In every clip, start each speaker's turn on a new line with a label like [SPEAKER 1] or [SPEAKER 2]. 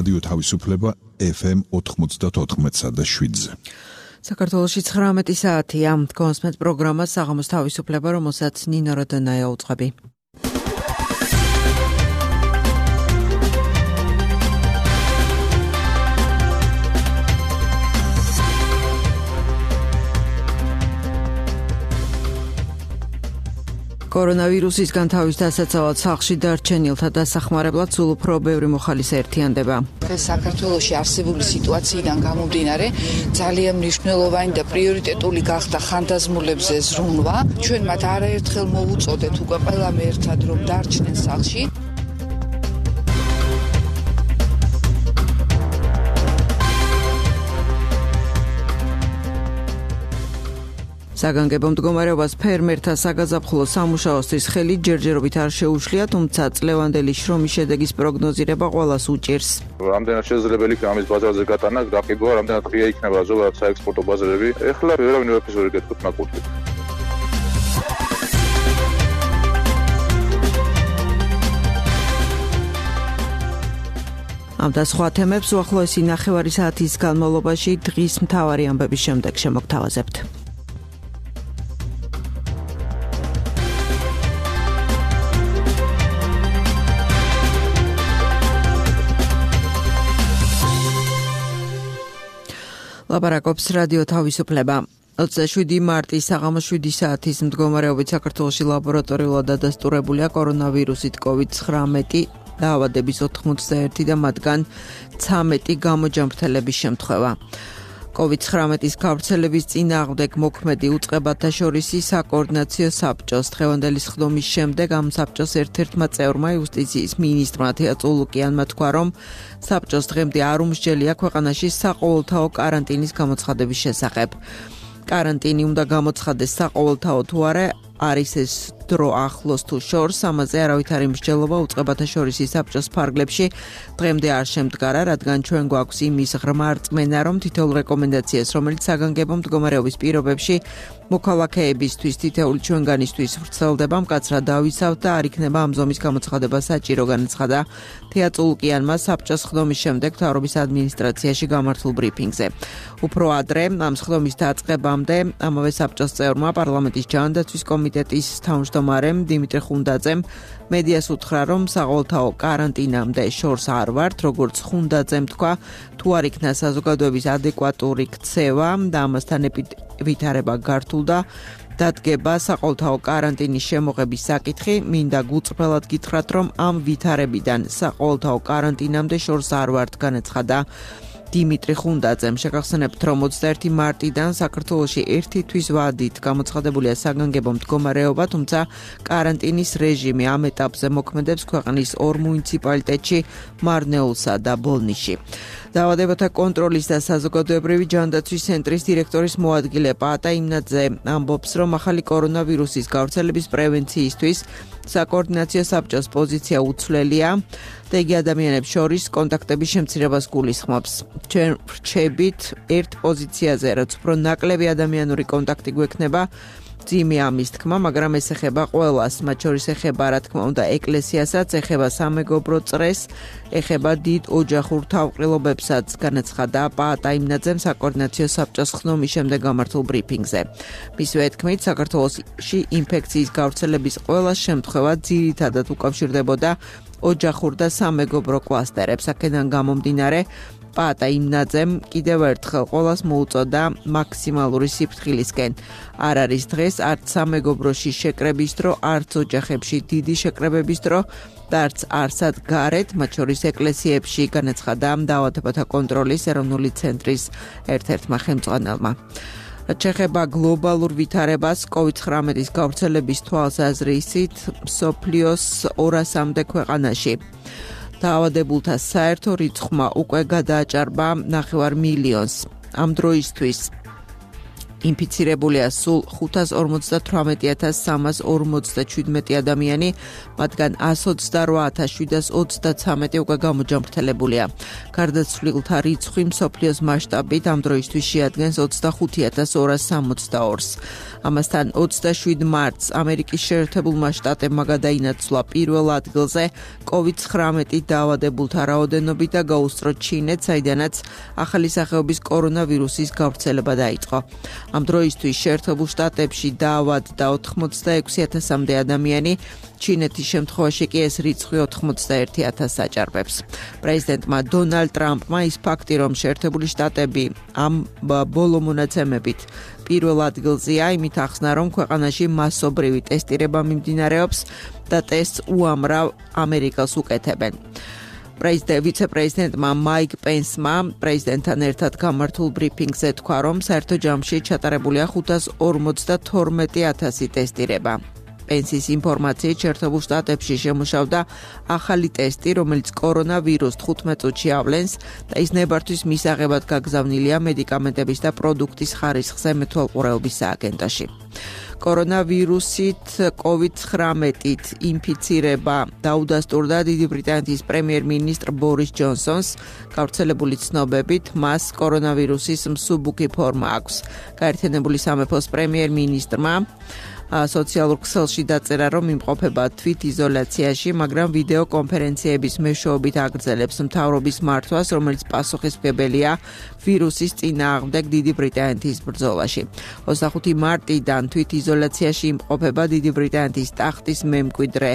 [SPEAKER 1] რადიო თავისუფლება FM 94.7-ზე.
[SPEAKER 2] საქართველოში 19 საათია. კონსმეთ პროგრამა საღამოს თავისუფლება, რომელსაც ნინო როდონაია უწყები. კორონავირუსისგან თავის დასაცავად სახლში დარჩენილთა დასახმარებლად სულ უფრო ბევრი მოხალისე ერთიანდება.
[SPEAKER 3] საქართველოში არსებული სიტუაციიდან გამომდინარე, ძალიან მნიშვნელოვანი და პრიორიტეტული გახდა ხანდაზმულებზე ზრუნვა. ჩვენ მათ არაერთხელ მოვუწოდეთ უკვე ყველამ ერთად რომ დარჩნენ სახლში.
[SPEAKER 2] საგანგებო მდგომარეობას ფერმერთა საგაზაფხულო სამუშაოსთვის ხელი ჯერჯერობით არ შეუშლია, თუმცა წლევანდელი შრომის შედეგის პროგნოზირება ყველას უჭირს.
[SPEAKER 4] რამდენად შესაძლებელი იქნება ამის ბაზარზე გატანა, გაფიგვა, რამდენად ღია იქნება ზოგადად საექსპორტო ბაზარები. ეხლა ვერავინ ვერაფერს ვერ გეტყვით მაგურით.
[SPEAKER 2] ამ და სხვა თემებს უახლოესი ნახევარი საათის განმავლობაში დღის მთავარი ამბების შემდეგ შემოგთავაზებთ. ლაპარაკობს რადიო თავისუფლება. 27 მარტის საღამოს 7 საათის მდგომარეობით საქართველოში ლაბორატორიულად დადასტურებულია კორონავირუსით COVID-19 დაავადების 81 და მათგან 13 გამოჯანმრთელების შემთხვევა. COVID-19-ის გავრცელების წინააღმდეგ მოქმედი უწყებათა შორისი საკოორდინაციო საბჭოს დღევანდელი სხდომის შემდეგ ამ საბჭოს ერთ-ერთმა წევრმა იუსტიციის მინისტრმა თეა წულუკიანმა თქვა, რომ საბჭოს დღემდე არ უმსჯელია ქვეყანაში საყოველთაო კარანტინის გამოცხადების შესახებ. კარანტინი უნდა გამოცხადდეს საყოველთაო თუ არა, არის ეს დრო ახლოს თუ შორს, ამაზე არავითარი მსჯელობა უწყებათა შორისი საბჭოს ფარგლებში დღემდე არ შემდგარა, რადგან ჩვენ გვაქვს იმის ღრმა რწმენა, რომ თითოეულ რეკომენდაციას, რომელიც საგანგებო მდგომარეობის პირობებში მოქალაქეებისთვის თითოეული ჩვენგანისთვის ვრცელდება, მკაცრად დავიცავთ და არ იქნება ამ ზომის გამოცხადება საჭირო, განაცხადა თეა წულუკიანმა საბჭოს სხდომის შემდეგ მთავრობის ადმინისტრაციაში გამართულ ბრიფინგზე. უფრო ადრე, ამ სხდომის დაწყებამდე, ამავე საბჭოს წევრმა პარლამენტის ჯანდაცვის კომიტეტის თავმჯდომარემ დიმიტრი ხუნდაძემ მედიას უთხრა, რომ საყოველთაო კარანტინამდე შორს არ ვართ, როგორც ხუნდაძემ თქვა, თუ არ იქნა საზოგადოების ადეკვატური ქცევა და ამასთან ვითარება გართულდა, დადგება საყოველთაო კარანტინის შემოღების საკითხი, მინდა გუწვრთელად გითხრათ, რომ ამ ვითარებიდან საყოველთაო კარანტინამდე შორს არ ვართ, განაცხადა დიმიტრი ხუნდაძემ. შეგახსენებთ, რომ 21 მარტიდან საქართველოში ერთი თვის ვადით გამოცხადებულია საგანგებო მდგომარეობა, თუმცა კარანტინის რეჟიმი ამ ეტაპზე მოქმედებს ქვეყნის 2 მუნიციპალიტეტში, მარნეულსა და ბოლნისში. დაავადებათა კონტროლის და საზოგადოებრივი ჯანდაცვის ცენტრის დირექტორის მოადგილე პაატა იმნაძე ამბობს, რომ ახალი კორონავირუსის გავრცელების პრევენციისთვის საკოორდინაციო საბჭოს პოზიცია უცვლელია და იგი ადამიანებს შორის კონტაქტების შემცირებას გულისხმობს. ჩვენ ვრჩებით ერთ პოზიციაზე, რაც უფრო ნაკლები ადამიანური კონტაქტი გვექნება, ძიმე ამის თქმა, მაგრამ ეს ეხება ყველას, მათ შორის ეხება რა თქმა უნდა ეკლესიასაც, ეხება სამეგობრო წრეს, ეხება დიდ ოჯახურ თავყრილობებსაც, განაცხადა პაატა იმნაძემ საკოორდინაციო საბჭოს სხდომის შემდეგ გამართულ ბრიფინგზე. მისივე თქმით, საქართველოში ინფექციის გავრცელების ყველა შემთხვევა ძირითადად უკავშირდებოდა ოჯახურ და სამეგობრო კლასტერებს. აქედან გამომდინარე, პაატა იმნაძემ კიდევ ერთხელ ყველას მოუწოდა მაქსიმალური სიფრთხილისკენ. არ არის დღეს არც სამეგობროში შეკრების დრო, არც ოჯახებში დიდი შეკრებების დრო და არც არსად გარეთ, მათ შორის ეკლესიებში, განაცხადა დაავადებათა კონტროლის ეროვნული ცენტრის ერთ-ერთმა ხელმძღვანელმა. რაც შეეხება გლობალურ ვითარებას, COVID-19-ის გავრცელების თვალსაზრისით, მსოფლიოს 200-მდე ქვეყანაში დაავადებულთა საერთო რიცხვმა უკვე გადააჭარბა 9 მილიონს. ამ დროისთვის ინფიცირებულია სულ 558,347 ადამიანი, მათგან 128,733 უკვე გამოჯამრთელებულია. გარდაცვლილთა რიცხვი მსოფლიოს მასშტაბით ამ დროისთვის შეადგენს 25,262-ს. ამასთან 27 მარტს ამერიკის შეერთებულმა შტატებმა გადაინაცვლა პირველ ადგილზე COVID-19 დაავადებულთა რაოდენობით და გაუსწრო ჩინეთს, საიდანაც ახალი სახეობის კორონავირუსის გავრცელება დაიწყო. ამ დროისთვის შეერთებულ შტატებში დაავადდა 86,000-მდე ადამიანი, ჩინეთის შემთხვევაში კი ეს რიცხვი 91,000-ს აჭარბებს. პრეზიდენტმა დონალდ ტრამპმა ის ფაქტი, რომ შეერთებული შტატები ამ ბოლო მონაცემებით პირველ ადგილზეა, იმით ახსნა, რომ ქვეყანაში მასობრივი ტესტირება მიმდინარეობს და ტესტს უამრავ ამერიკას უკეთებენ. ვიცე-პრეზიდენტმა მაიკ პენსმა პრეზიდენტთან ერთად გამართულ ბრიფინგზე თქვა, რომ საერთო ჯამში ჩატარებულია 552,000 ტესტირება. პენსის ინფორმაციით შეერთებულ შტატებში შემუშავდა ახალი ტესტი, რომელიც კორონავირუსს 15 წუთში ავლენს და ის ნებართვის მისაღებად გაგზავნილია მედიკამენტების და პროდუქტის ხარისხზე მეთვალყურეობის სააგენტოში. კორონავირუსით COVID-19 ინფიცირება დაუდასტურდა დიდი ბრიტანეთის პრემიერ-მინისტრ ბორის ჯონსონს. გავრცელებული ცნობებით, მას კორონავირუსის მსუბუქი ფორმა აქვს. გაერთიანებული სამეფოს პრემიერ-მინისტრმა სოციალურ ქსელში დაწერა, რომ იმყოფება თვითიზოლაციაში, მაგრამ ვიდეო კონფერენციების მეშვეობით აგრძელებს მთავრობის მართვას, რომელიც პასუხისმგებელია ვირუსის წინააღმდეგ დიდი ბრიტანეთის ბრძოლაში. 25 მარტიდან თვითიზოლაციაში იმყოფება დიდი ბრიტანეთის ტახტის მემკვიდრე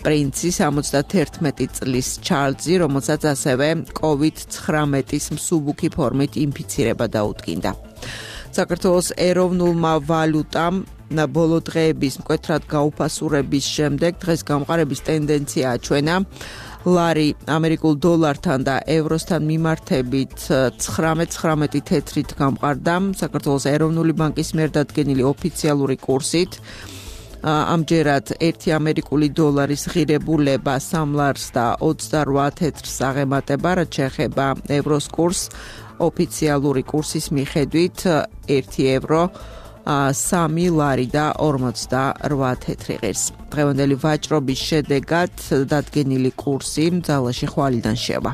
[SPEAKER 2] პრინცი 71 წლის ჩარლზი, რომელსაც ასევე COVID-19 მსუბუქი ფორმით ინფიცირება დაუდგინდა. საქართველოს ეროვნულმა ვალუტამ ბოლო დღეების მკვეთრად გაუფასურების შემდეგ დღეს გამყარების ტენდენცია აჩვენა. ლარი ამერიკულ დოლართან და ევროსთან მიმართებით 9.19 თეთრით გამყარდა საქართველოს ეროვნული ბანკის მიერ დადგენილი ოფიციალური კურსით. ამჯერად 1 ამერიკული დოლარის ღირებულება 3 ლარს და 28 თეთრს აღემატება, რაც შეეხება ევროს კურსს. ოფიციალური კურსის მიხედვით 1 ევრო 3 ლარი და 48 თეთრი ღირს. დღევანდელი ვაჭრობის შედეგად დადგენილი კურსი ძალაში ხვალიდან შევა.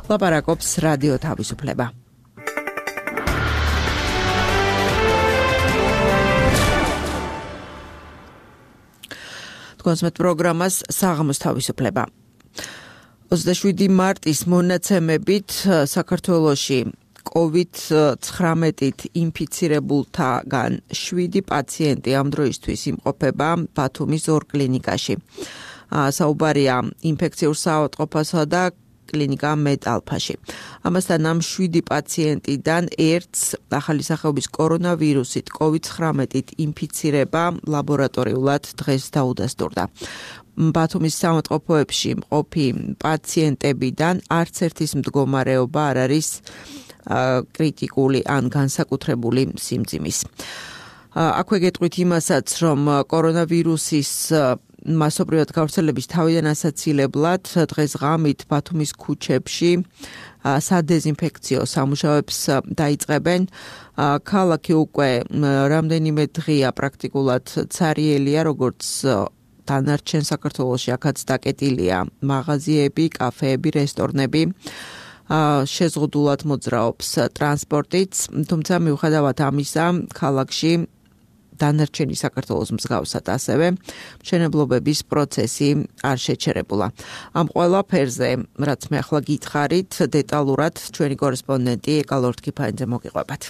[SPEAKER 2] ლაპარაკობს რადიო თავისუფლება. თქვენს პროგრამას საღამოს თავისუფლება. 27 მარტის მონაცემებით საქართველოში COVID-19 ინფიცირებულთაგან 7 პაციენტი ამ დროისთვის იმყოფება ბათუმის 2 კლინიკაში. საუბარია ინფექციურ საავადმყოფოსა და კლინიკა მეტალფაში. ამასთან ამ 7 პაციენტიდან ერთს ახალი სახეობის კორონავირუსით COVID-19 ინფიცირება ლაბორატორიულად დღეს დაუდასტურდა. ბათუმის საავადმყოფოებში მყოფი პაციენტებიდან არც ერთის მდგომარეობა არ არის კრიტიკული ან განსაკუთრებული სიმძიმის. აქვე გეტყვით იმასაც, რომ კორონავირუსის მასობრივად გავრცელების თავიდან ასაცილებლად დღეს ღამით ბათუმის ქუჩებში სადეზინფექციო სამუშაოებს დაიწყებენ. ქალაქი უკვე რამდენიმე დღეა პრაქტიკულად ცარიელია, როგორც დანარჩენ საქართველოში, აქაც დაკეტილია მაღაზიები, კაფეები, რესტორნები. შეზღუდულად მოძრაობს ტრანსპორტიც, თუმცა მიუხედავად ამისა, ქალაქში დანარჩენი საქართველოს მსგავსად ასევე მშენებლობების პროცესი არ შეჩერებულა. ამ ყველაფერზე, რაც მე ახლა გითხარით, დეტალურად ჩვენი კორესპონდენტი ეკალორთ კიფაინძე მოგიყვებათ.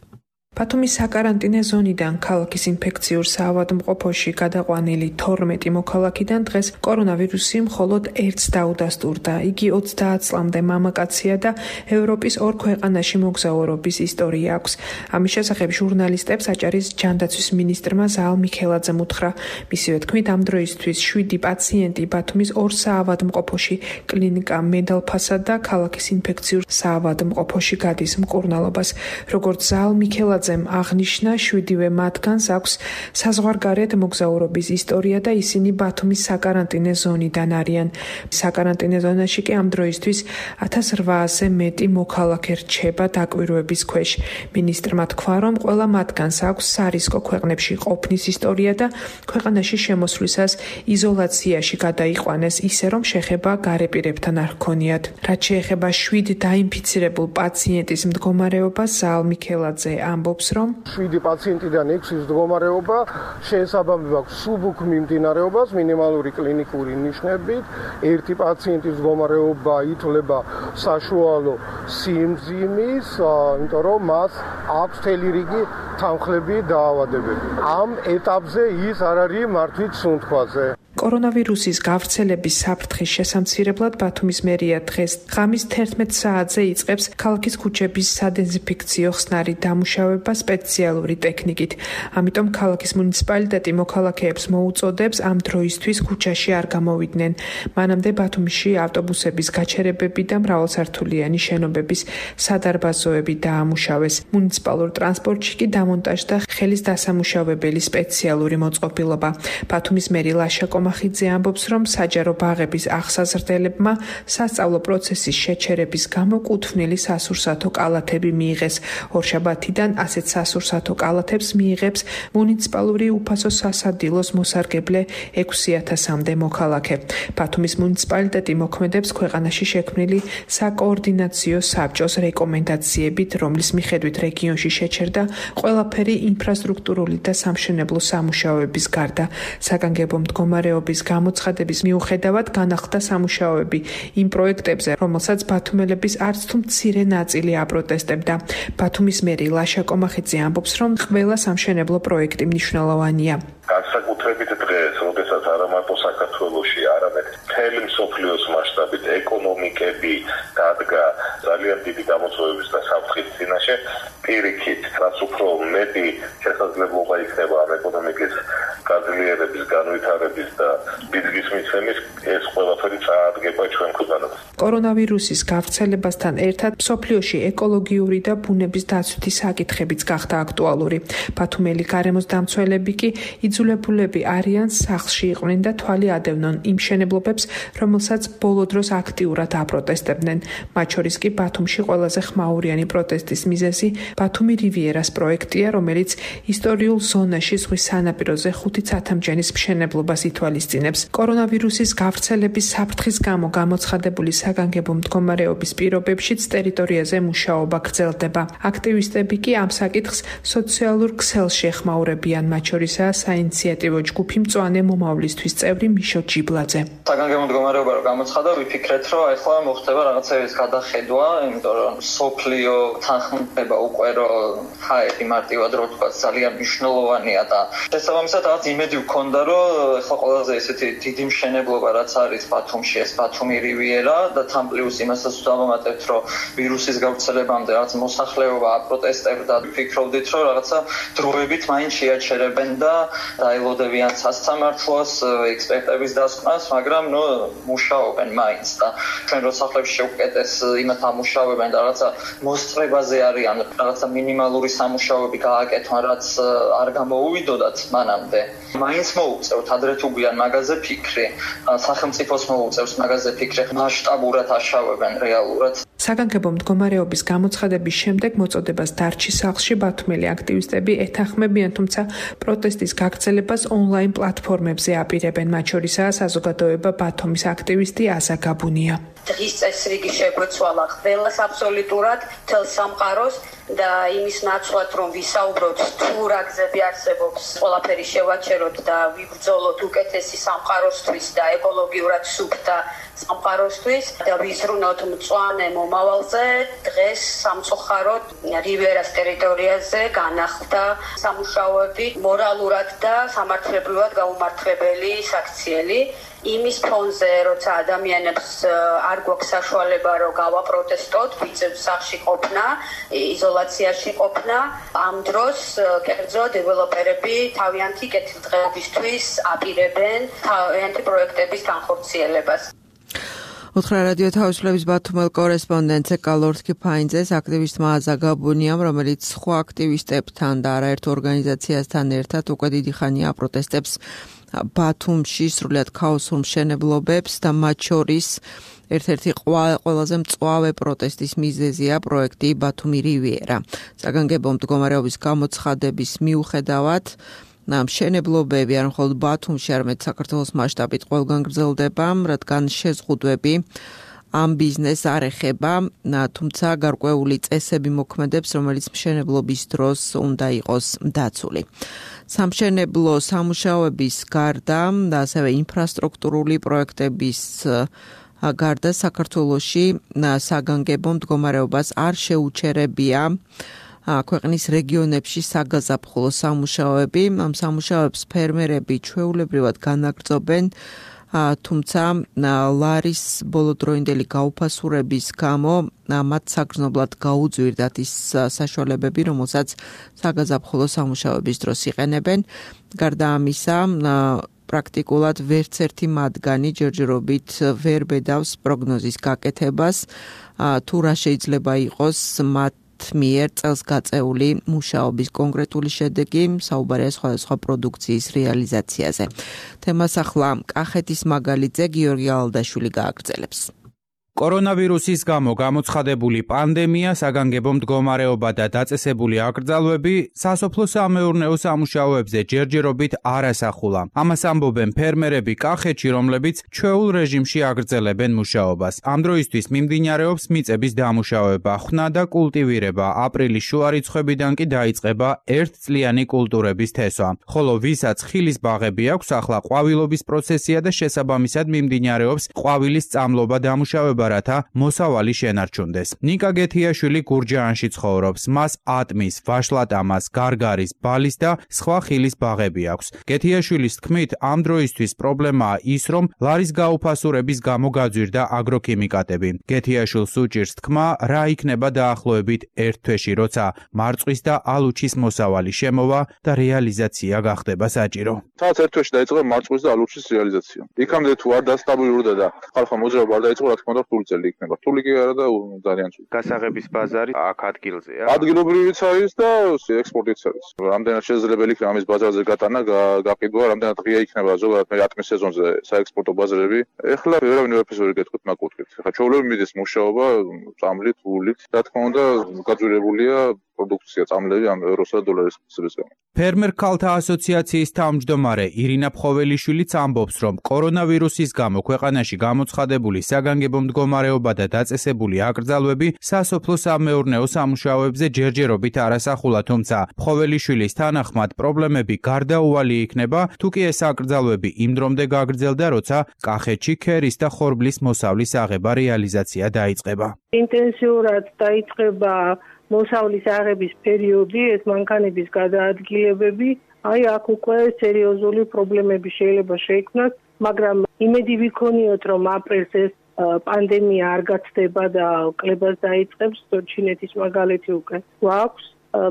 [SPEAKER 5] ბათუმის საკარანტინე ზონიდან ქალაქის ინფექციურ საავადმყოფოში გადაყვანილი 12 მოქალაქიდან დღეს კორონავირუსი მხოლოდ ერთს დაუდასტურდა. იგი 30 წლამდე მამაკაცია და ევროპის 2 ქვეყანაში მოგზაურობის ისტორია აქვს. ამის შესახებ ჟურნალისტებს აჭარის ჯანდაცვის მინისტრმა ზაალ მიქელაძემ უთხრა. მისივე თქმით, ამ დროისთვის 7 პაციენტი ბათუმის 2 საავადმყოფოში, კლინიკა მედალფასა და ქალაქის ინფექციურ საავადმყოფოში გადის მკურნალობას. როგორც ზაალ მიქელაძე მიქელაძემ აღნიშნა, 7-ვე მათგანს აქვს საზღვარგარეთ მოგზაურობის ისტორია და ისინი ბათუმის საკარანტინე ზონიდან არიან. საკარანტინე ზონაში კი ამ დროისთვის 1800-ზე მეტი მოქალაქე რჩება დაკვირვების ქვეშ. მინისტრმა თქვა, რომ ყველა მათგანს აქვს სარისკო ქვეყნებში ყოფნის ისტორია და ქვეყანაში შემოსვლისას იზოლაციაში გადაიყვანეს ისე, რომ შეხება გარეპირებთან არ ჰქონიათ. რაც შეეხება 7 დაინფიცირებულ პაციენტის მდგომარეობას, ზაალ მიქელაძე ამბობს, რომ
[SPEAKER 6] 7 პაციენტიდან 6-ის მდგომარეობა შეესაბამება სუბუქ მიმდინარეობას მინიმალური კლინიკური ნიშნებით. ერთი პაციენტის მდგომარეობა ითვლება საშუალო სიმძიმის, იმიტომ რომ მას აქვს მთელი რიგი თანხლები დაავადებები. ამ ეტაპზე ის არ არის მართვით სუნთქვაზე.
[SPEAKER 5] კორონავირუსის გავრცელების საფრთხის შესამცირებლად ბათუმის მერია დღეს ღამის 11 საათზე იწყებს ქალაქის ქუჩების სადეზინფექციო ხსნარი დამუშავება სპეციალური ტექნიკით. ამიტომ ქალაქის მუნიციპალიტეტი მოქალაქეებს მოუწოდებს ამ დროისთვის ქუჩაში არ გამოვიდნენ. მანამდე ბათუმში ავტობუსების გაჩერებები და მრავალსართულიანი შენობების სადარბაზოები დაამუშავეს. მუნიციპალურ ტრანსპორტში კი დამონტაჟდა ხელის დასამუშავებელი სპეციალური მოწყობილობა. ბათუმის მერი ლაშა მახიძე ამბობს, რომ საჯარო ბაღების აღსაზრდელებმა სასწავლო პროცესის შეჩერების გამო კუთვნილი სასურსათო კალათები მიიღეს. ორშაბათიდან ასეთ სასურსათო კალათებს მიიღებს მუნიციპალური უფასო სასადილოს მოსარგებლე 6000-მდე მოქალაქე. ბათუმის მუნიციპალიტეტი მოქმედებს ქვეყანაში შექმნილი საკოორდინაციო საბჭოს რეკომენდაციებით, რომლის მიხედვით რეგიონში შეჩერდა ყველაფერი ინფრასტრუქტურული და სამშენებლო სამუშაოების გარდა. საგანგებო მდგომარეობის გამოცხადების მიუხედავად განახლდა სამუშაოები იმ პროექტებზე, რომელსაც ბათუმელების არც თუ მცირე ნაწილი აპროტესტებდა. ბათუმის მერი ლაშა კომახიძე ამბობს, რომ ყველა სამშენებლო პროექტი მნიშვნელოვანია.
[SPEAKER 7] განსაკუთრებით დღეს, როდესაც არა მარტო საქართველოში, არამედ მთელი მსოფლიოს მასშტაბით ეკონომიკები დადგა ძალიან დიდი გამოწვევების და საფრთხის წინაშე, პირიქით, რაც უფრო მეტი შესაძლებლობა იქნება ამ ეკონომიკის გაძლიერების, განვითარების და ბიზნეს მიცემის, ეს ყველაფერი წაადგება ჩვენ ქვეყანას.
[SPEAKER 5] კორონავირუსის გავრცელებასთან ერთად მსოფლიოში ეკოლოგიური და ბუნების დაცვითი საკითხებიც გახდა აქტუალური. ბათუმელი გარემოს დამცველები კი იძულებულები არიან სახლში იყვნენ და თვალი ადევნონ იმ მშენებლობებს, რომელსაც ბოლო დროს აქტიურად აპროტესტებდნენ. მათ შორის კი ბათუმში ყველაზე ხმაურიანი პროტესტის მიზეზი ბათუმი რივიერას პროექტია, რომელიც ისტორიულ ზონაში ზღვის სანაპიროზე 5 ცათამბჯენის მშენებლობას ითვალისწინებს. კორონავირუსის გავრცელების საფრთხის გამო გამოცხადებული საგანგებო მდგომარეობის პირობებშიც ტერიტორიაზე მუშაობა გრძელდება. აქტივისტები კი ამ საკითხს სოციალურ ქსელში ეხმაურებიან, მათ შორისაა საინიციატივო ჯგუფი მწვანე მომავლისთვის წევრი მიშო ჯიბლაძე.
[SPEAKER 8] საგანგებო მდგომარეობა რო გამოცხადა, ვიფიქრეთ, რომ ახლა მოხდება რაღაცების გადახედვა, იმიტომ რომ სოფლიო თანხმდება უკვე რომ ჰაერი მარტივად რო თქვა ძალიან მნიშვნელოვანია და შესაბამისად რაღაც იმედი ვქონდა, რომ ახლა ყველაზე ესეთი დიდი მშენებლობა რაც არის ბათუმში, ეს ბათუმი რივიერა და თან პლუს იმასაც დავამატებთ, რომ ვირუსის გავრცელებამდე რაღაც მოსახლეობა აპროტესტებდა, ვფიქრობდით, რომ რაღაცა დროებით მაინც შეაჩერებენ და დაელოდებიან სასამართლოს ექსპერტების დასკვნას, მაგრამ მუშაობენ მაინც და ჩვენ რო სახლებში შევკეტეს იმათ ამუშავებენ და რაღაცა მოსწრებაზე არიან, რაღაცა მინიმალური სამუშაოები გააკეთონ, რაც არ გამოუვიდოდათ მანამდე. მაინც მოუწევთ ადრე თუ გვიან მაგაზე ფიქრი, სახელმწიფოს მოუწევს მაგაზე ფიქრი, მასშტაბურად აშავებენ რეალურად.
[SPEAKER 5] საგანგებო მდგომარეობის გამოცხადების შემდეგ მოწოდებას დარჩი სახლში ბათუმელი აქტივისტები ეთანხმებიან, თუმცა პროტესტის გაგრძელებას ონლაინ პლატფორმებზე აპირებენ, მათ შორისაა საზოგადოება ბათუმის აქტივისტი აზა გაბუნია.
[SPEAKER 9] დღის წესრიგი შეგვეცვალა ყველას აბსოლუტურად თელ სამყაროს და იმის ნაცვლად რომ ვისაუბროთ თუ რა გზები არსებობს ყველაფერი შევაჩეროთ და ვიბრძოლოთ უკეთესი სამყაროსთვის და ეკოლოგიურად სუფთა სამყაროსთვის და ვიზრუნოთ მწვანე მომავალზე, დღეს სამწუხაროდ რივიერას ტერიტორიაზე განახლდა სამუშაოები მორალურად და სამართლებრივად გაუმართლებელი საქციელი. იმის ფონზე, როცა ადამიანებს არ გვაქვს საშუალება რომ გავაპროტესტოთ, ვიწევთ სახლში ყოფნა, იზოლაციაში ყოფნა, ამ დროს კერძო დეველოპერები თავიანთი კეთილდღეობისთვის აპირებენ თავიანთი პროექტების განხორციელებას.
[SPEAKER 2] უთხრა რადიო თავისუფლების ბათუმელ კორესპონდენტზე კალორთკი ფაინძეს აქტივისტმა აზაგაბუნიამ, რომელიც სხვა აქტივისტებთან და არაერთ ორგანიზაციასთან ერთად უკვე დიდი ხანია აპროტესტებს ბათუმში სრულიად ქაოსურ მშენებლობებს და მათ შორის ერთ-ერთი ყველაზე მწვავე პროტესტის მიზეზია პროექტი ბათუმი რივიერა. საგანგებო მდგომარეობის გამოცხადების მიუხედავად მშენებლობები არ მხოლოდ ბათუმში, არამედ საქართველოს მასშტაბით ყველგან გრძელდება, რადგან შეზღუდვები ამ ბიზნესს არ ეხება, თუმცა გარკვეული წესები მოქმედებს, რომელიც მშენებლობის დროს უნდა იყოს დაცული. სამშენებლო სამუშაოების გარდა და ასევე ინფრასტრუქტურული პროექტების გარდა საქართველოში საგანგებო მდგომარეობას არ შეუჩერებია ქვეყნის რეგიონებში საგაზაფხულო სამუშაოები. ამ სამუშაოებს ფერმერები ჩვეულებრივად განაგრძობენ, თუმცა ლარის ბოლოდროინდელი გაუფასურების გამო მათ საგრძნობლად გაუძვირდათ ის საშუალებები, რომელსაც საგაზაფხულო სამუშაოების დროს იყენებენ. გარდა ამისა, პრაქტიკულად ვერც ერთი მათგანი ჯერჯერობით ვერ ბედავს პროგნოზის გაკეთებას, თუ რა შეიძლება იყოს მათ მიერ წელს გაწეული მუშაობის კონკრეტული შედეგი, საუბარია სხვადასხვა პროდუქციის რეალიზაციაზე. თემას ახლა კახეთის მაგალითზე გიორგი ალდაშვილი გააგრძელებს.
[SPEAKER 10] კორონავირუსის გამო გამოცხადებული პანდემია, საგანგებო მდგომარეობა და დაწესებული აკრძალვები სასოფლო-სამეურნეო სამუშაოებზე ჯერჯერობით არ ასახულა. ამას ამბობენ ფერმერები კახეთში, რომლებიც ჩვეულ რეჟიმში აგრძელებენ მუშაობას. ამ დროისთვის მიმდინარეობს მიწების დამუშავება, ხნა და კულტივირება. აპრილის შუა რიცხვებიდან კი დაიწყება ერთწლიანი კულტურების თესვა. ხოლო ვისაც ხილის ბაღები აქვს, ახლა ყვავილობის პროცესია და შესაბამისად მიმდინარეობს ყვავილის წამლობა დამუშავება, რათა მოსავალი შენარჩუნდეს. ნიკა გეთიაშვილი გურჯაანში ცხოვრობს. მას ატმის, ვაშლატამას, გარგარის, ბალის და სხვა ხილის ბაღები აქვს. გეთიაშვილის თქმით, ამ დროისთვის პრობლემაა ის, რომ ლარის გაუფასურების გამო გაძვირდა აგროქიმიკატები. გეთიაშვილს უჭირს თქმა, რა იქნება დაახლოებით ერთ თვეში, როცა მარწყვის და ალუჩის მოსავალი შემოვა და რეალიზაცია გახდება საჭირო.
[SPEAKER 4] სადაც ერთ თვეში დაიწყება მარწყვის და ალუჩის რეალიზაცია. იქამდე თუ არ დასტაბილურდა და ხალხმა მოძრაობა არ დაიწყო, რა თქმა უნდა, რთული იქნება. რთული კი არა და ძალიან ცუდ.
[SPEAKER 10] გასაღების ბაზარი აქ ადგილზეა.
[SPEAKER 4] ადგილობრივიც არის და ექსპორტიც არის. რამდენად შესაძლებელი იქნება ამის ბაზარზე გატანა, გაყიდვა, რამდენად ღია იქნება ზოგადად მე ატმის სეზონზე საექსპორტო ბაზარები. ეხლა ვერავინ ვერაფერს ვერ გეტყვით მაგურთით. ეხლა ჩვეულებრივ მიდის მუშაობა წამლით, ვულით. რა თქმა უნდა, გაძვირებულია პროდუქცია წამლები ამ ევროსა და დოლარის მიზნების გამო.
[SPEAKER 10] ფერმერ ქალთა ასოციაციის თავმჯდომარე ირინა ფხოველიშვილიც ამბობს, რომ კორონავირუსის გამო ქვეყანაში გამოცხადებული საგანგებო მდგომარეობა და დაწესებული აკრძალვები სასოფლო-სამეურნეო სამუშაოებზე ჯერჯერობით არ ასახულა, თუმცა ფხოველიშვილის თანახმად პრობლემები გარდაუვალი იქნება, თუ კი ეს აკრძალვები იმ დრომდე გაგრძელდა, როცა კახეთში ქერის და ხორბლის მოსავლის აღება რეალიზაცია დაიწყება.
[SPEAKER 11] ინტენსიურად დაიწყება მოსავლის აღების პერიოდი, ეს მანქანების გადაადგილებები, აქ უკვე სერიოზული პრობლემები შეიძლება შეიქმნას, მაგრამ იმედი ვიქონიოთ, რომ აპრილს ეს პანდემია არ გაცდება და კლებას დაიწყებს, ჩინეთის მაგალითი უკვე გვაქვს.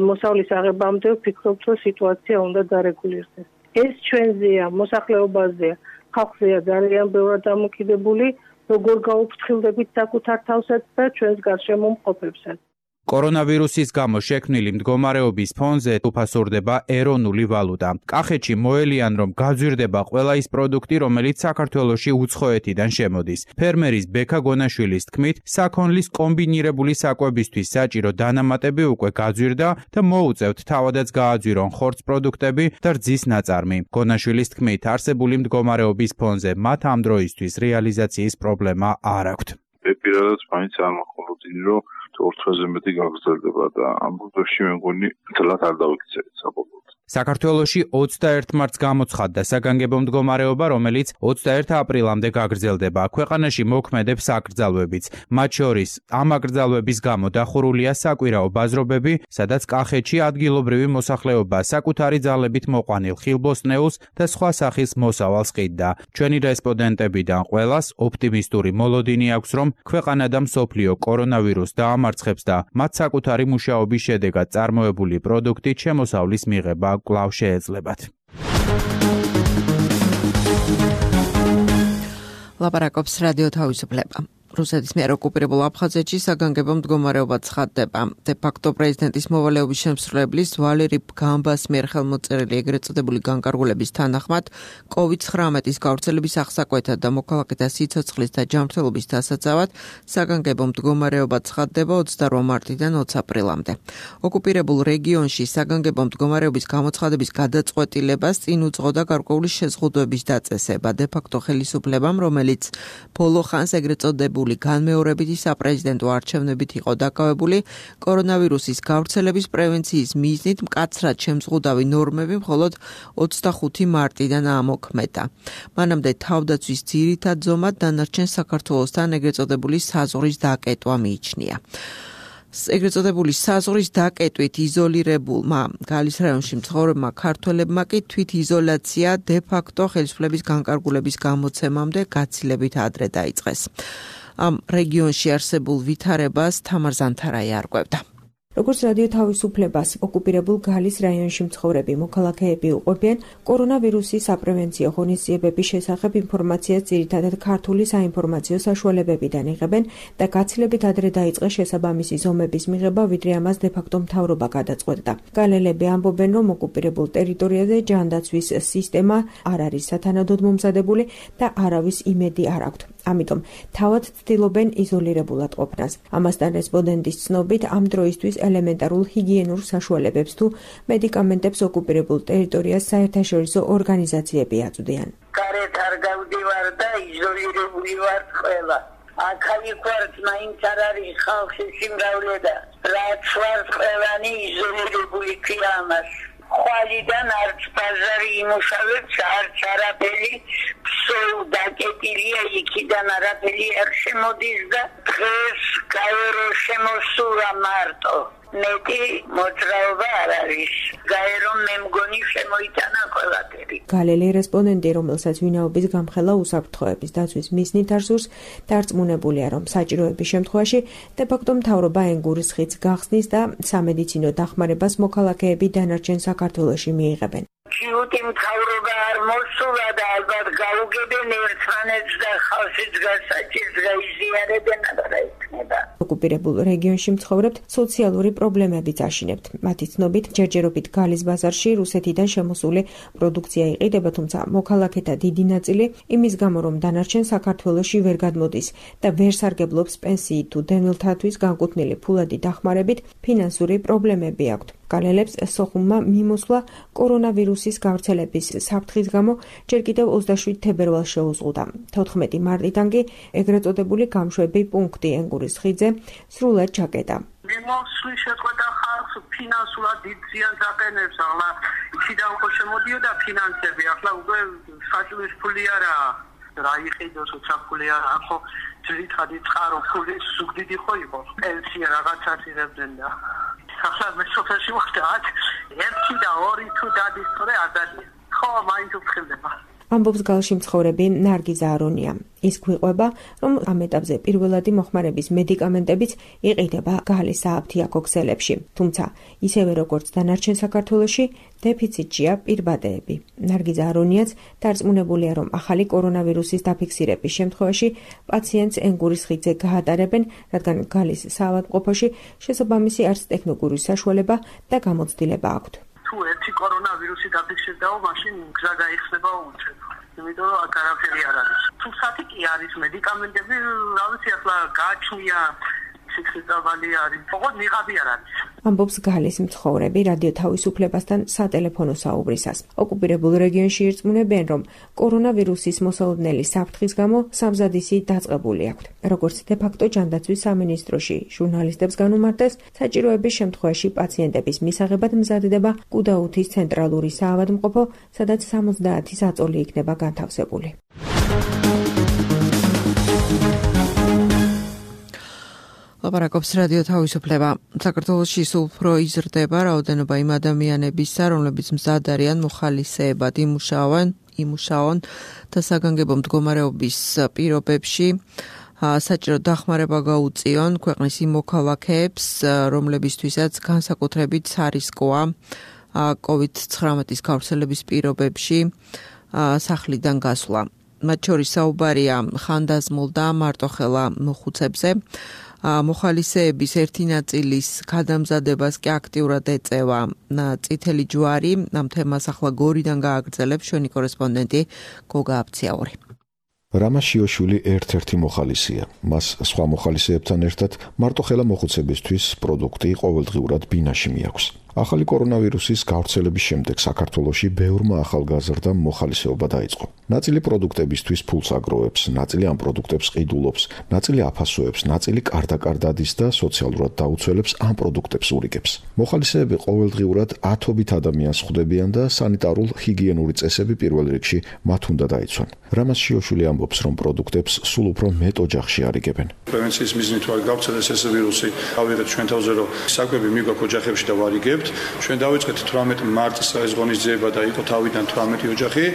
[SPEAKER 11] მოსავლის აღებამდე ვფიქრობთ, რომ სიტუაცია უნდა დარეგულირდეს. ეს ჩვენზეა, მოსახლეობაზეა, ხალხზეა ძალიან ბევრად დამოკიდებული, როგორ გაუფრთხილდებით საკუთარ თავსაც და ჩვენს გარშემო მყოფებსაც.
[SPEAKER 10] კორონავირუსის გამო შექმნილი მდგომარეობის ფონზე უფასურდება ეროვნული ვალუტა. კახეთში მოელიან, რომ გაძვირდება ყველა ის პროდუქტი, რომელიც საქართველოში უცხოეთიდან შემოდის. ფერმერის ბექა გონაშვილის თქმით, საქონლის კომბინირებული საკვებისთვის საჭირო დანამატები უკვე გაძვირდა და მოუწევთ თავადაც გააძვირონ ხორცს პროდუქტები და რძის ნაწარმი. გონაშვილის თქმით, არსებული მდგომარეობის ფონზე მათ ამ დროისთვის რეალიზაციის პრობლემა არ აქვთ.
[SPEAKER 7] პირადად მაინც არ მოხმობდინი, რომ ორთვეზე მეტი გაგრძელდება და ამ დროში მე მგონი თლათ არ დავიქცევით საბოლოოდ.
[SPEAKER 10] საქართველოში 21 მარტს გამოცხადდა საგანგებო მდგომარეობა, რომელიც 21 აპრილამდე გაგრძელდება. ქვეყანაში მოქმედებს აკრძალვებიც. მათ შორის ამ აკრძალვების გამო დახურულია საკვირაო ბაზრობები, სადაც კახეთში ადგილობრივი მოსახლეობა საკუთარი ძალებით მოყვანილ ხილბოსტნეულს და სხვა სახის მოსავალს ყიდდა. ჩვენი რესპონდენტებიდან ყველას ოპტიმისტური მოლოდინი აქვს, რომ ქვეყანა და მსოფლიო კორონავირუსს დაამარცხებს და მათ საკუთარი მუშაობის შედეგად წარმოებული პროდუქტით შემოსავლის მიღება კვლავ შეეძლებათ.
[SPEAKER 2] ლაპარაკობს რადიო თავისუფლება. რუსეთის მიერ ოკუპირებულ აფხაზეთში საგანგებო მდგომარეობა ცხადდება. დე-ფაქტო პრეზიდენტის მოვალეობის შემსრულებლის ვალერი გამბას მიერ ხელმოწერილი ეგრეთ წოდებული განკარგულების თანახმად COVID-19-ის გავრცელების აღსაკვეთად და მოქალაქეთა სიცოცხლის და ჯანმრთელობის დასაცავად საგანგებო მდგომარეობა ცხადდება 28 მარტიდან 20 აპრილამდე. ოკუპირებულ რეგიონში საგანგებო მდგომარეობის გამოცხადების გადაწყვეტილებას წინ უძღოდა გარკვეული შეზღუდვების დაწესება დე-ფაქტო ხელისუფლებამ, რომელიც ბოლო ხანს ეგრეთ წოდებული განმეორებითი საპრეზიდენტო არჩევნებით იყო დაკავებული კორონავირუსის გავრცელების პრევენციის მიზნით მკაცრად შემზღუდავი ნორმები მხოლოდ 25 მარტიდან ამოქმედა. მანამდე თავდაცვის ძირითად ზომად დანარჩენ საქართველოსთან ეგრეთ წოდებული საზღვრის დაკეტვა მიიჩნია. ეგრეთ წოდებული საზღვრის დაკეტვით იზოლირებულმა გალის რაიონში მცხოვრებმა ქართველებმა კი თვითიზოლაცია დე-ფაქტო ხელისუფლების განკარგულების გამოცემამდე გაცილებით ადრე დაიწყეს. ამ რეგიონში არსებულ ვითარებას თამარ ზანთარაი არკვევდა.
[SPEAKER 12] როგორც რადიო თავისუფლებას ოკუპირებულ გალის რაიონში მცხოვრები მოქალაქეები უყვებიან კორონავირუსის საპრევენციო ღონისძიებების შესახებ ინფორმაციას ძირითადად ქართული საინფორმაციო საშუალებებიდან იღებენ და გაცილებით ადრე დაიწყეს შესაბამისი ზომების მიღება, ვიდრე ამას დე-ფაქტო მთავრობა გადაწყვეტდა. გალელები ამბობენ, რომ ოკუპირებულ ტერიტორიაზე ჯანდაცვის სისტემა არ არის სათანადოდ მომზადებული და არავის იმედი არ აქვთ. ამიტომ თავად ცდილობენ იზოლირებულად ყოფნას. ამასთან რესპონდენტის ცნობით ამ დროისთვის ელემენტარულ ჰიგიენურ საშუალებებს თუ მედიკამენტებს ოკუპირებულ ტერიტორიას საერთაშორისო ორგანიზაციები აწვდიან.
[SPEAKER 13] გარეთ არ გავდივარ და იზოლირებული ვარ ყველა. აქ-იქ ვარ, მაინც არ არის ხალხის სიმრავლე და რაც ვარ ყველანი იზოლირებული ქვია ამას. ხვალიდან არც ბაზარი იმუშავებს, არც არაფერი სულ დაკეტილია, იქიდან არაფერი არ შემოდის და დღეს გაერო შემოსულა მარტო. მეტი მოძრაობა არ არის. გაერო მე მგონი შემოიტანა ყველაფერი.
[SPEAKER 12] გალელი რესპონდენტი, რომელსაც ვინაობის გამხელა უსაფრთხოების დაცვის მიზნით არსურს, დარწმუნებულია, რომ საჭიროების შემთხვევაში დე-ფაქტო მთავრობა ენგურის ხიდს გახსნის და სამედიცინო დახმარებას მოქალაქეები დანარჩენ საქართველოში მიიღებენ.
[SPEAKER 13] ჩიუტი მთავრობა არ მოსულა და ალბათ გაუგებენ ერთმანეთს და ხალხის გასაჭირს გაიზიარებენ და იქნება.
[SPEAKER 12] ოკუპირებულ რეგიონში მცხოვრებთ სოციალური პრობლემებიც აშინებთ. მათი ცნობით, ჯერჯერობით გალის ბაზარში რუსეთიდან შემოსული პროდუქცია იყიდება, თუმცა მოქალაქეთა დიდი ნაწილი იმის გამო, რომ დანარჩენ საქართველოში ვერ გადმოდის და ვერ სარგებლობს პენსიით თუ დევნილთათვის განკუთვნილი ფულადი დახმარებით, ფინანსური პრობლემები აქვთ. გალელებს სოხუმმა მიმოსვლა კორონავირუსის გავრცელების საფრთხის გამო ჯერ კიდევ 27 თებერვალს შეუზღუდა. 14 მარტიდან კი ეგრეთ წოდებული გამშვები პუნქტი ენგურის ხიდზე სრულად ჩაკეტა.
[SPEAKER 6] მიმოსვლის შეწყვეტა ხალხს ფინანსურად დიდ ზიანს აყენებს, ახლა იქიდან ხო შემოდიოდა ფინანსები, ახლა უკვე საჭმლის ფული არაა. რა იყიდოს უცხოელი არა, ხო ძირითადი წყარო ფული სუგდიდი ხო იყო. პენსია რაღაცას იღებდნენ და ახლა მე სოფელში ვარ და აქ 1 და 2 თუ დადის თორე არ დადის. ხო, მაინც უცხელდება.
[SPEAKER 12] ამბობს გალში მცხოვრები ნარგიზა არონია. ის გვიყვება, რომ ამ ეტაპზე პირველადი მოხმარების მედიკამენტებიც იყიდება გალის სააფთიაქო ქსელებში. თუმცა, ისევე როგორც დანარჩენ საქართველოში, დეფიციტშია პირბადეები. ნარგიზა არონიაც დარწმუნებულია, რომ ახალი კორონავირუსის დაფიქსირების შემთხვევაში პაციენტს ენგურის ხიდზე გაატარებენ, რადგან გალის საავადმყოფოში შესაბამისი არც ტექნიკური საშუალება და გამოცდილება აქვთ.
[SPEAKER 6] თუ ერთი კორონავირუსი დაფიქსირდაო, მაშინ გზა გაიხსნება უწევ. იმიტომ რომ აქ არაფერი არ არის. თუ საფიკი არის მედიკამენტები, რა ვიცი, ახლა გააჩნია სიქსიტავალი არის. ოღონდ ნიღაბი არ არის.
[SPEAKER 12] ამბობს გალის მცხოვრები რადიო თავისუფლებასთან სატელეფონო საუბრისას. ოკუპირებულ რეგიონში ირწმუნებენ, რომ კორონავირუსის მოსალოდნელი საფრთხის გამო სამზადისი დაწყებული აქვთ. როგორც დე-ფაქტო ჯანდაცვის სამინისტროში ჟურნალისტებს განუმარტეს, საჭიროების შემთხვევაში პაციენტების მისაღებად მზადდება კუდაუთის ცენტრალური საავადმყოფო, სადაც 70 საწოლი იქნება განთავსებული.
[SPEAKER 2] ლაპარაკობს რადიო თავისუფლება. საქართველოში სულ უფრო იზრდება რაოდენობა იმ ადამიანებისა, რომლებიც მზად არიან მოხალისეებად იმუშაონ და საგანგებო მდგომარეობის პირობებში საჭირო დახმარება გაუწიონ ქვეყნის იმ მოქალაქეებს, რომლებისთვისაც განსაკუთრებით სარისკოა COVID-19 გავრცელების პირობებში სახლიდან გასვლა. მათ შორის საუბარია ხანდაზმულ და მარტოხელა მოხუცებზე. მოხალისეების ერთი ნაწილის გადამზადებას კი აქტიურად ეწევა წითელი ჯვარი. ამ თემას ახლა გორიდან გააგრძელებს ჩვენი კორესპონდენტი გოგა აფციაური.
[SPEAKER 14] რამა შიოშვილი ერთ-ერთი მოხალისეა. მას სხვა მოხალისეებთან ერთად მარტოხელა მოხუცებისთვის პროდუქტი ყოველდღიურად ბინაში მიაქვს. ახალი კორონავირუსის გავრცელების შემდეგ საქართველოში ბევრმა ახალგაზრდამ მოხალისეობა დაიწყო. ნაწილი პროდუქტებისთვის ფულს აგროვებს, ნაწილი ამ პროდუქტებს ყიდულობს, ნაწილი აფასოებს, ნაწილი კარდაკარდადის და სოციალურად დაუცველებს ამ პროდუქტებს ურიგებს. მოხალისეები ყოველდღიურად ათობით ადამიანს ხვდებიან და სანიტარულ ჰიგიენური წესები პირველ რიგში მათ უნდა დაიცვან. რამას შიოშვილი ამბობს, რომ პროდუქტებს სულ უფრო მეტ ოჯახში არიგებენ.
[SPEAKER 15] პრევენციის მიზნით ვარ გავცელდეს ეს ვირუსი. ავიღეთ ჩვენ თავზე რომ საკვები მიგვაქვს ოჯახებში და ვარიგებთ. ჩვენ დავიწყეთ 18 მარტს ეს ღონისძიება და იყო თავიდან 18 ოჯახი.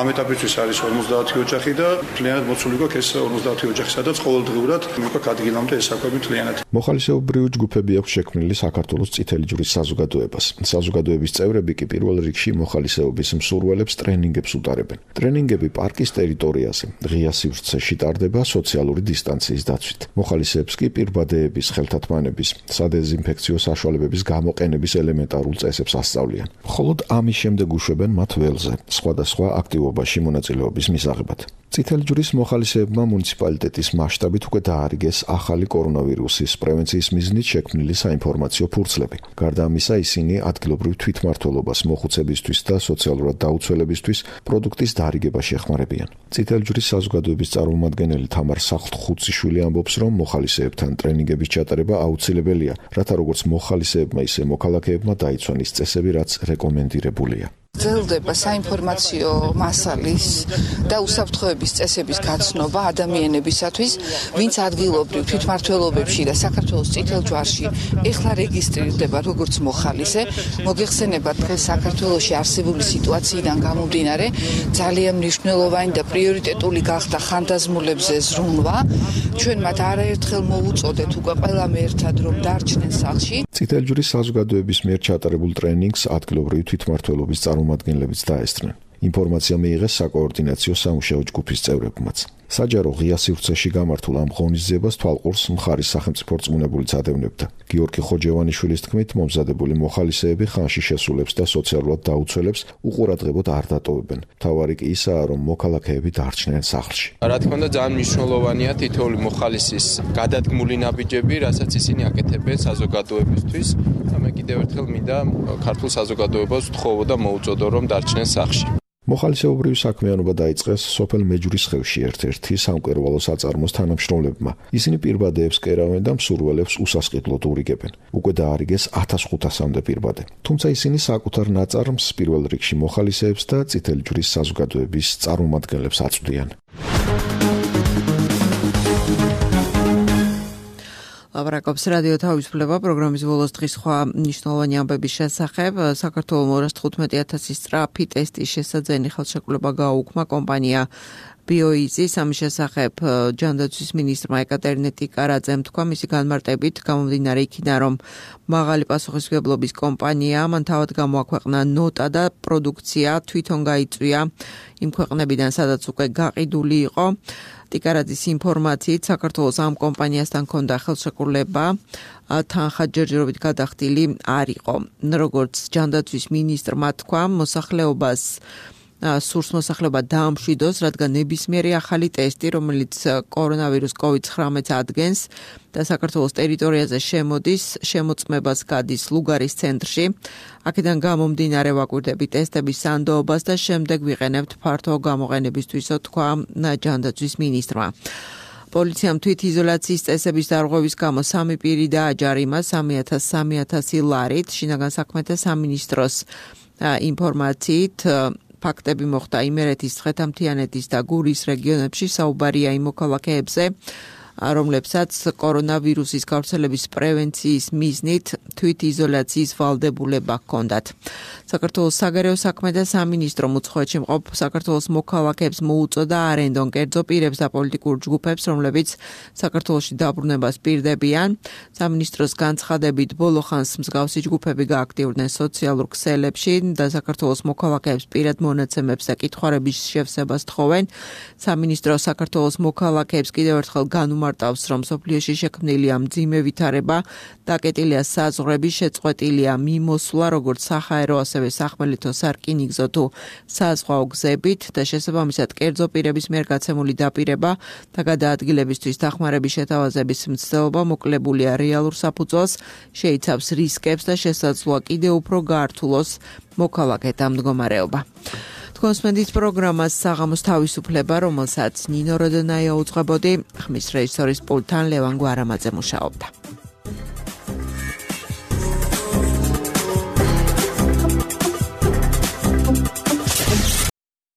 [SPEAKER 15] ამ ეტაპისთვის არის 50 ოჯახი და მთლიანად მოცული გვაქვს ეს 50 ოჯახი, სადაც ყოველდღიურად მიგვაქვს ადგილამდე ეს საკვები მთლიანად.
[SPEAKER 14] მოხალისეობრივი ჯგუფები აქვს შექმნილი საქართველოს წითელი ჯვრის საზოგადოებას. საზოგადოების წევრები კი პირველ რიგში მოხალისეობის მსურველებს ტრენინგებს უტარებენ. ტრენინგები პარკის ტერიტორიაზე, ღია სივრცეში ტარდება სოციალური დისტანციის დაცვით. მოხალისეებს კი პირბადეების, ხელთათმანების, სადეზინფექციო საშუალებების გამოყენების ელემენტარულ წესებს ასწავლიან. მხოლოდ ამის შემდეგ უშვებენ მათ ველზე, სხვადასხვა აქტივობაში მონაწილეობის მისაღებად. წითელი ჯვრის მოხალისეებმა მუნიციპალიტეტის მასშტაბით უკვე დაარიგეს ახალი კორონავირუსის პრევენციის მიზნით შექმნილი საინფორმაციო ფურცლები. გარდა ამისა, ისინი ადგილობრივ თვითმმართველობას, მოხუცებისთვის და სოციალურად დაუცველებისთვის პროდუქტის დაარიგებაში ეხმარებიან. წითელი ჯვრის საზოგადოების წარმომადგენელი თამარ სახლთხუციშვილი ამბობს, რომ მოხალისეებთან ტრენინგების ჩატარება აუცილებელია, რათა როგორც მოხალისეებმა, ისე მოქალაქეებმა დაიცვან ის წესები, რაც რეკომენდირებულია.
[SPEAKER 3] გრძელდება საინფორმაციო მასალის და უსაფრთხოების წესების გაცნობა ადამიანებისათვის, ვინც ადგილობრივ თვითმმართველობებში და საქართველოს წითელ ჯვარში ეხლა რეგისტრირდება როგორც მოხალისე. მოგეხსენება დღეს საქართველოში არსებული სიტუაციიდან გამომდინარე ძალიან მნიშვნელოვანი და პრიორიტეტული გახდა ხანდაზმულებზე ზრუნვა. ჩვენ მათ არაერთხელ მოუწოდეთ უკვე ყველამ ერთად რომ დარჩნენ სახლში.
[SPEAKER 14] წითელი ჯვრის საზოგადოების მიერ ჩატარებულ ტრენინგს ადგილობრივი თვითმმართველობის წარმომადგენლებიც დაესწრნენ. ინფორმაცია მიიღეს საკოორდინაციო სამუშაო ჯგუფის წევრებმაც. საჯარო ღია სივრცეში გამართულ ამ ღონისძიებას თვალყურს მხარის სახელმწიფო რწმუნებულიც ადევნებდა. გიორგი ხოჯევანიშვილის თქმით, მომზადებული მოხალისეები ხანში შესულებს და სოციალურად დაუცველებს უყურადღებოდ არ დატოვებენ. მთავარი კი ისაა, რომ მოქალაქეები დარჩნენ სახლში.
[SPEAKER 16] რა თქმა უნდა, ძალიან მნიშვნელოვანია თითოეული მოხალისის გადადგმული ნაბიჯები, რასაც ისინი აკეთებენ საზოგადოებისთვის. და მე კიდევ ერთხელ მინდა ქართულ საზოგადოებას ვთხოვო და მოუწოდო, რომ დარჩნენ სახლში.
[SPEAKER 14] მოხალისეობრივი საქმიანობა დაიწყეს სოფელ მეჯვრისხევში ერთ-ერთი სამკერვალო საწარმოს თანამშრომლებმა. ისინი პირბადეებს კერავენ და მსურველებს უსასყიდლოდ ურიგებენ. უკვე დაარიგეს 1500-მდე პირბადე. თუმცა ისინი საკუთარ ნაწარმს პირველ რიგში მოხალისეებს და წითელი ჯვრის საზოგადოების წარმომადგენლებს აწვდიან.
[SPEAKER 2] ლაპარაკობს რადიო თავისუფლება პროგრამის ბოლოს დღის სხვა მნიშვნელოვანი ამბების შესახებ. საქართველოს 215,000 სწრაფი ტესტის შესაძენი ხელშეკრულება გააუქმა კომპანია ბიოიზის. ამის შესახებ ჯანდაცვის მინისტრმა ეკატერინე ტიკარაძემ თქვა, მისი განმარტებით გამომდინარე იქიდან, რომ მაღალი პასუხისმგებლობის კომპანია, მან თავად გამოაქვეყნა ნოტა და პროდუქცია თვითონ გაიწვია იმ ქვეყნებიდან, სადაც უკვე გაყიდული იყო. ტიკარაძის ინფორმაციით საქართველოს ამ კომპანიასთან ჰქონდა ხელშეკრულება თანხა ჯერჯერობით გადახდილი არ იყო. როგორც ჯანდაცვის მინისტრმა თქვა, მოსახლეობას სურს მოსახლეობა დაამშვიდოს, რადგან ნებისმიერი ახალი ტესტი, რომელიც კორონავირუს COVID-19 ადგენს და საქართველოს ტერიტორიაზე შემოდის, შემოწმებას გადის ლუგარის ცენტრში. აქედან გამომდინარე ვაკვირდებით ტესტების სანდოობას და შემდეგ ვიყენებთ ფართო გამოყენებისთვისო, თქვა ჯანდაცვის მინისტრმა. პოლიციამ თვითიზოლაციის წესების დარღვევის გამო 3 პირი დააჯარიმა 3,000 ლარით. შინაგან საქმეთა სამინისტროს ინფორმაციით ფაქტები მოხდა იმერეთის, ცხეთამთიანეთის და გურის რეგიონებში. საუბარია იმ მოქალაქეებზე, რომლებსაც კორონავირუსის გავრცელების პრევენციის მიზნით თვითიზოლაციის ვალდებულება ჰქონდათ. საქართველოს საგარეო საქმეთა სამინისტრომ უცხოეთში მყოფ საქართველოს მოქალაქეებს მოუწოდა არ ენდონ კერძო პირებს და პოლიტიკურ ჯგუფებს, რომლებიც საქართველოში დაბრუნებას პირდებიან. სამინისტროს განცხადებით, ბოლო ხანს მსგავსი ჯგუფები გააქტიურდნენ სოციალურ ქსელებში და საქართველოს მოქალაქეებს პირად მონაცემებს და კითხვარების შევსებას თხოვენ. სამინისტრო საქართველოს მოქალაქეებს კიდევ ერთხელ განუმარტავს, რომ სოფლიოში შექმნილია მძიმე ვითარება, დაკეტილია საზღვრები, შეწყვეტილია მიმოსვლა, როგორც საჰაერო, ასევე სახმელეთო სარკინიგზო თუ საზღვაო გზებით და შესაბამისად კერძო პირების მიერ გაცემული დაპირება და გადაადგილებისთვის დახმარების შეთავაზების მცდელობა მოკლებულია რეალურ საფუძველს, შეიცავს რისკებს და შესაძლოა კიდევ უფრო გაართულოს მოქალაქეთა მდგომარეობა. თქვენს მენდის პროგრამას საღამოს თავისუფლება, რომელსაც ნინო როდონაია უძღვებოდი, ხმის რეჟისორის პულტთან ლევან გვარამაძე მუშაობდა.